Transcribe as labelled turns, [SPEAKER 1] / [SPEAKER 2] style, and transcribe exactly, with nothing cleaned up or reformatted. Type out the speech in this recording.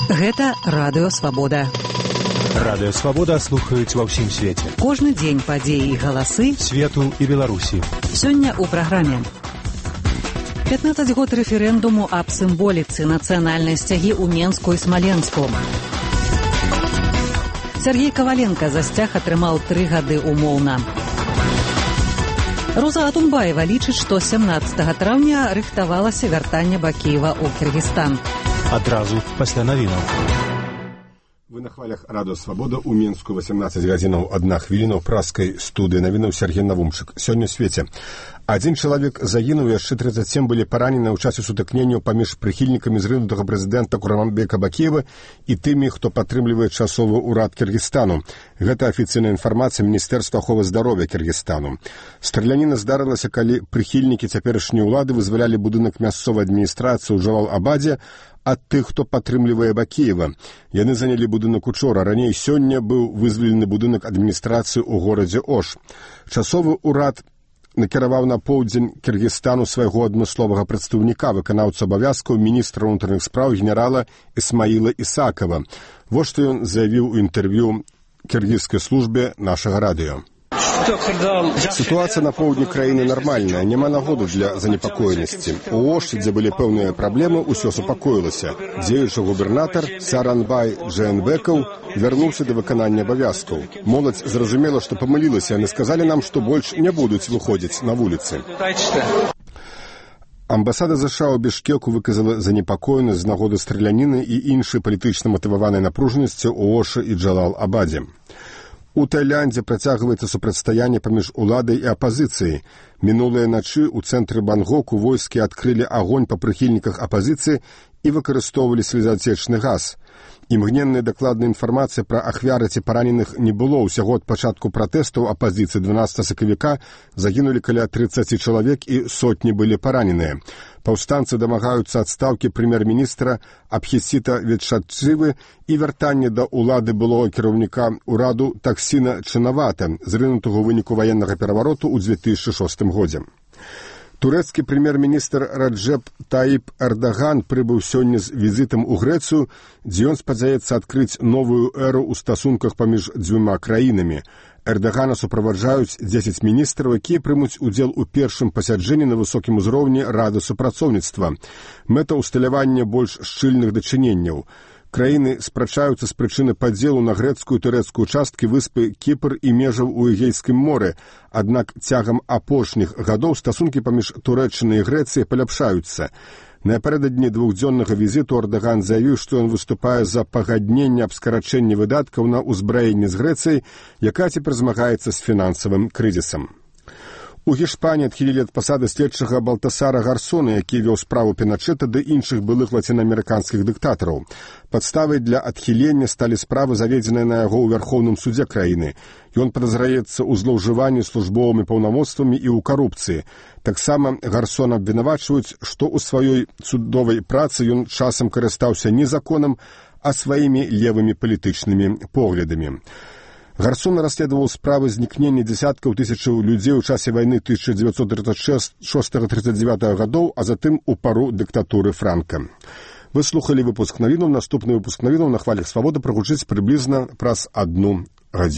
[SPEAKER 1] Гэта Радыё Свабода.
[SPEAKER 2] Радыё Свабода слухаюць ва ўсім свеце.
[SPEAKER 1] Кожны дзень падзеі і галасы
[SPEAKER 2] свету і Беларусі.
[SPEAKER 1] Сёння ў праграме. пятнаццаць год рэферэндуму аб сімволіцы нацыянальнай сцягі ў Менску і Смаленску. Сергей Коваленко за сцяг атрымаў тры гады умоўна. Роза Атунбаева лічыць, што сямнаццатага траўня рыхтавалася вяртанне Бакіева ў Кыргызстан.
[SPEAKER 2] Адразу пасля навінаў.
[SPEAKER 3] Вы на хвалях Радыё Свабода ў Менску васемнаццаць гадзінаў адна хвіліна ў праскай студыі навінаў Сергей Навумчык. Сёння ў свеце. Адзін чалавек загінуў, яшчэ трыццаць сем былі паранены ў часе сутыкненняў паміж прыхільнікамі зрынутага прэзідэнта Курманбека Бакіева і тымі, хто падтрымлівае часовы ўрад Кыргызстану. Гэта афіцыйная інфармацыя Міністэрства аховы здароўя Кыргызстану. Страляніна здарылася, калі прыхільнікі цяперашняй улады вызвалялі будынак мясцовай адміністрацыі ў Джалал-Абадзе ад тых, хто падтрымлівае Бакіева. Яны занялі будынак учора. Раней сёння быў вызвалены будынак адміністрацыі ў горадзе Ош. Часовы ўрад накіраваў на поўдзень Кыргызстану свайго адмысловага прадстаўніка, выканаўцу абавязкаў міністра ўнутраных спраў генерала Ісмаіла Ісакова. Вось што ён заявіў у інтэрв'ю кіргізскай службе нашага радыё. Сітуацыя на поўдні краіны нармальная, няма нагоды для занепакоенасці. У Оші, дзе былі пэўныя праблемы, усё супакоілася. Дзеючы губернатар Сааранбай Джээнбекаў вярнуўся да выканання абавязкаў. Моладзь зразумела, што памылілася, яны сказалі нам, што больш не будуць выходзіць на вуліцы. Амбасада ЗША ў Бішкеку выказала занепакоенасць з нагоды страляніны і іншай палітычна матываванай напружанасці ў Ошы і Джалал-Абадзе. У Таіландзе працягваецца супрацьстаянне паміж уладай і апазіцыяй. Мінулыя начы ў цэнтры Бангоку войскі адкрылі агонь па прыхільніках апазіцыі і выкарыстоўвалі слезаацечны газ. Імгненная дакладная інфармацыя пра ахвяры ці параненых не было. Усяго ад пачатку пратэстаў апазіцыі дванаццатага сакавіка загінулі каля трыццаці чалавек і сотні былі параненыя. Паўстанцы дамагаюцца адстаўкі прэм'ер-міністра Абхісіта Ветшатчывы і вяртання да ўлады былога кіраўніка ўраду Таксіна Чынавата, зрынутага ў выніку ваеннага перавароту ў дзве тысячы шостым годзе. Турэцкі прэм'ер-міністр Раджэп Таіп Эрдаган прыбыў сёння з візітам у Грэцыю, дзе ён спадзяецца адкрыць новую эру ў стасунках паміж дзвюма краінамі. Эрдагана суправаджаюць дзесяць міністраў, якія прымуць удзел у першым пасяджэнні на высокім узроўні Рады супрацоўніцтва. Мэта ўсталявання больш шчыльных дачыненняў. Краіны спрачаюцца з прычыны падзелу на грэцкую і турэцкую часткі выспы Кіпр і межаў у Эгейскім моры. Аднак цягам апошніх гадоў стасункі паміж Турэччынай і Грэцыяй паляпшаюцца. Напярэдадні двухдзённага візіту Эрдаган заявіў, што ён выступае за пагадненне аб скарачэнні выдаткаў на ўзбраенне з Грэцыяй, якая цяпер змагаецца з фінансавым крызісам. У Гішпаніі адхілілі ад пасады следчага Балтасара Гарсона, які вёў справу Піначэта ды іншых былых лацінаамерыканскіх дыктатараў. Падставай для адхілення сталі справы, заведзеныя на яго ў Вярхоўным судзе краіны. Ён падазраецца ў злоўжыванні службовымі паўнамоцтвамі і ў карупцыі. Таксама Гарсона абвінавачваюць, што ў сваёй судовай працы ён часам карыстаўся не законам, а сваімі левымі палітычнымі поглядамі. Гарсон расследаваў справы знікнення дзесяткаў тысячаў людзей у часе вайны тысяча дзевяцьсот трыццаць шостага — трыццаць дзевятага гадоў, а затым у пару дыктатуры Франка. Вы слухалі выпуск навінаў. Наступны выпуск навінаў на хвалях Свабоды прагучыць прыблізна праз адну гадзіну.